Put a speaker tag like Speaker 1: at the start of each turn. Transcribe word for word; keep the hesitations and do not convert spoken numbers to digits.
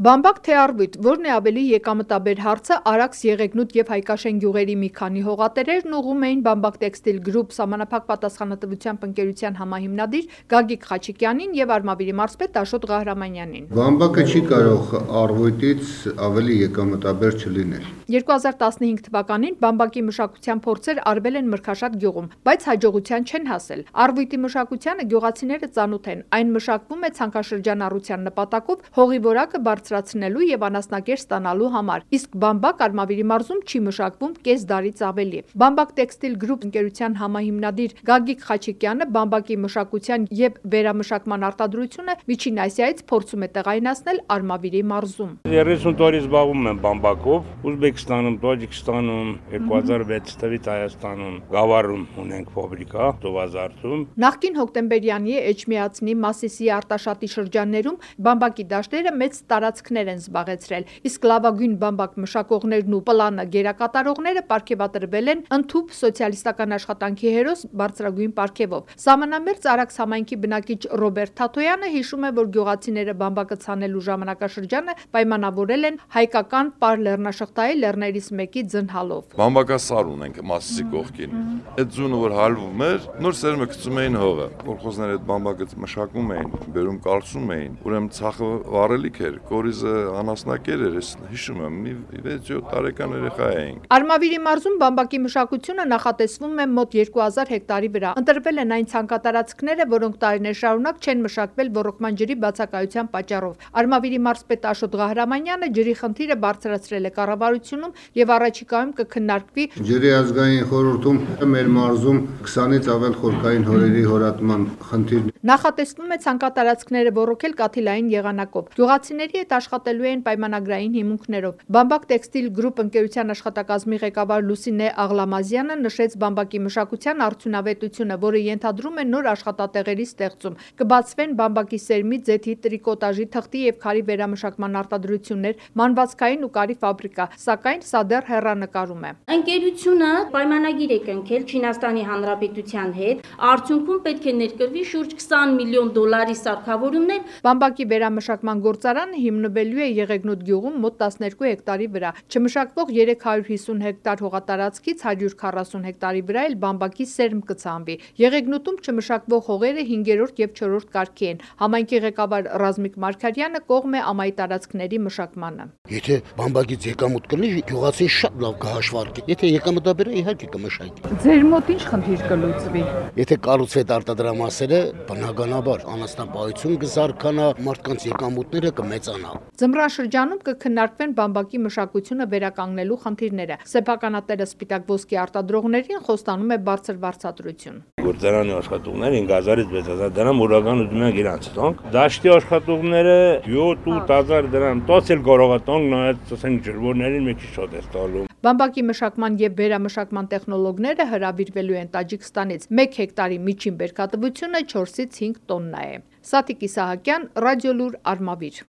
Speaker 1: Բամբակ թե առվույթ, որն է ավելի եկամտաբեր հարցը, Արաքս, Եղեգնուտ և Հայկաշեն գյուղերի մի քանի հողատերերն ուղղում էին Բամբակ Տեքստիլ Գրուպ սահմանափակ պատասխանատվությամբ ընկերության համահիմնադիր Գագիկ Խաչիկյանին և Արմավիրի մարզպետ Աշոտ Ղահրամանյանին։
Speaker 2: Բամբակը չի կարող առվույթից ավելի եկամտաբեր չլինել։
Speaker 1: երկու հազար տասնհինգ թվականին Բամբակի մշակության փորձեր արվել են Մրգաշատ գյուղում, բայց հաջողության չեն հասել։ Առվույթի մշակությանը գյուղացիները ծանոթ են, այն մշակվում է ցանքաշրջանառության նպատակով հողի որակը բարձրացնելու և անասնակեր ստանալու համար, իսկ Բամբակ Արմավիրի մարզում չի մշակվում կես դարից ավելի։ Բամբակ Տեքստիլ Գրուպ ընկերության համահիմնադիր Գագիկ Խաչիկյանը Բամբակի մշակության և վերամշակման արտադրությունը Միջին Ասիայից փորձում է տեղայնացնել Արմավիրի մարզում։
Speaker 3: երեսուն տարի զբաղվում եմ բամբակով, Ուզբեկստանում, Տաջիկստանում, երկու հազար վեց թվականից Հայաստանում, Գավառում ունենք ֆաբրիկա, Տովազարդում։
Speaker 1: Նախկին Հոկտեմբերյանի Էջմիածնի, Մասիսի, Արտաշատի շրջաններում բամբակի դաշտերը մեծ տարածքներ են զբաղեցրել, իսկ լավագույն բամբակ մշակողներն ու պլանը գերակատարողները պարգևատրվել են ընդհուպ սոցիալիստական աշխատանքի հերոս բարձրագույն պարգևով։ Սահմանամերձ Արաքս համայնքի բնակիչ Ռոբերտ Թաթոյանը հիշում է, որ գյուղացիները բամբակը ցանելու ժամանակաշրջանը պայմանավորել են հայկական պար լեռնաշղթայի լեռներից մեկի ձնհալով։
Speaker 4: Բամբակասար ունենք Մասիսի կողքին։ Այդ ձյունը որ հալվում էր, նոր սերմը գցում էին հողը։ Կոլխոզները այդ բամբակը մշակում էին, բերում կառուցում էին, ուրեմն ցախը վառելիք էր, կորիզը անասնակեր էր, հիշում եմ, մի վեց-յոթ տարեկան երեխա էինք։
Speaker 1: Արմավիրի մարզում բամբակի մշակությունը նախատեսվում է մոտ երկու հազար հեկտարի վրա։ Ընտրվել են այն ցանկատարածքները, որոնք տարիներ շարունակ չեն մշակվել ոռոգման ջրի բացակայության պատճառով։ Արմավիրի մարզպետ Աշոտ Ղահրամանյանը ջրի խնդիրը բարձրացրել է կառավարությունում եւ առաջիկայում կքննարկվի
Speaker 2: Ջրի ազգային խորհրդում մեր մարզում քսանից ավել խորքային հորերի հորատման խնդիր։
Speaker 1: Նախատեսվում է ցանկատարածքները ոռոգել կաթիլային եղանակով։ Գյուղացիների հետ աշխատելու են պայմանագրային հիմունքներով։ Բամբակ Տեքստիլ Գրուպ ընկերության աշխատակազմի ղեկավար Լուսինե Աղլամազյանը նշեց բամբակի մշակության արդյունավետությունը, որը ենթադրում է նոր աշխատատեղերի ստեղծում։ Կբացվեն բամբակի սերմի, ձեթի, տրիկոտաժի, թղթի եւ քարի վերամշակման արտադրություններ, մանվածքային ու կարի ֆաբրիկա, սակայն սա դեռ հեռանկարում է։
Speaker 5: Ընկերությունը պայմանագիր է կնքել Չինաստանի Հանրապետության հետ, արդյունքում պետք է ներկրվի շուրջ քսան միլիոն դոլարի սարքավորումներ։
Speaker 1: Բամբակի վերամշակման գործարանը հիմնվելու է Եղեգնուտ գյուղում մոտ տասներկու հեկտարի վրա։ Չմշակվող երեք հարյուր հիսուն հեկտար հողատարածքից հարյուր քառասուն հեկտարի վրա էլ բամբակի սերմ կցանվի։ Եղեգնուտում չմշակվող հողերը հինգերորդ եւ չորրորդ կարգի են։ Համայնքի ղեկավար Ռազմիկ Մարգարյանը կողմ է ամայի տարածքների մշակմանը։
Speaker 6: Եթե բամբակից եկամուտ կլինի, գյուղացին շատ լավ կհաշվարկի։ Եթե եկամտաբեր է, իհարկե կմշակի։
Speaker 1: Ձեր մոտ ինչ խնդիր կլուծվի։
Speaker 6: Եթե կառուցվի արտադրամասերը, բնականաբար անասնապահություն կզարգանա, մարդկանց եկամուտները կմեծանա։
Speaker 1: Ձմռան շրջանում կքննարկվեն բամբակի մշակությունը վերականգնելու խնդիրները։ Սեփականատերը Սպիտակ ոսկի արտադրողներին խոստանում է բարձր վարձատրություն։
Speaker 3: Գործարանի աշխատողները հինգ հազարից վեց հազար դրամ օրական ուզում են իրանց տոնք։ Դաշտի աշխատողները յոթ-ութ հազար դրամ, տոց էլ կարող է տոնք նայած ասենք ջրվորներին մի քիչ շատ է ստալու։
Speaker 1: Բամբակի մշակման եւ վերամշակման տեխնոլոգները հրավիրվելու են Տաջիկստանից։ մեկ հեկտարի միջին բերքատվությունը չորսից հինգ տոննա է։ Սաթիկ Իսահակյան, Ռադիոլուր, Արմավիր։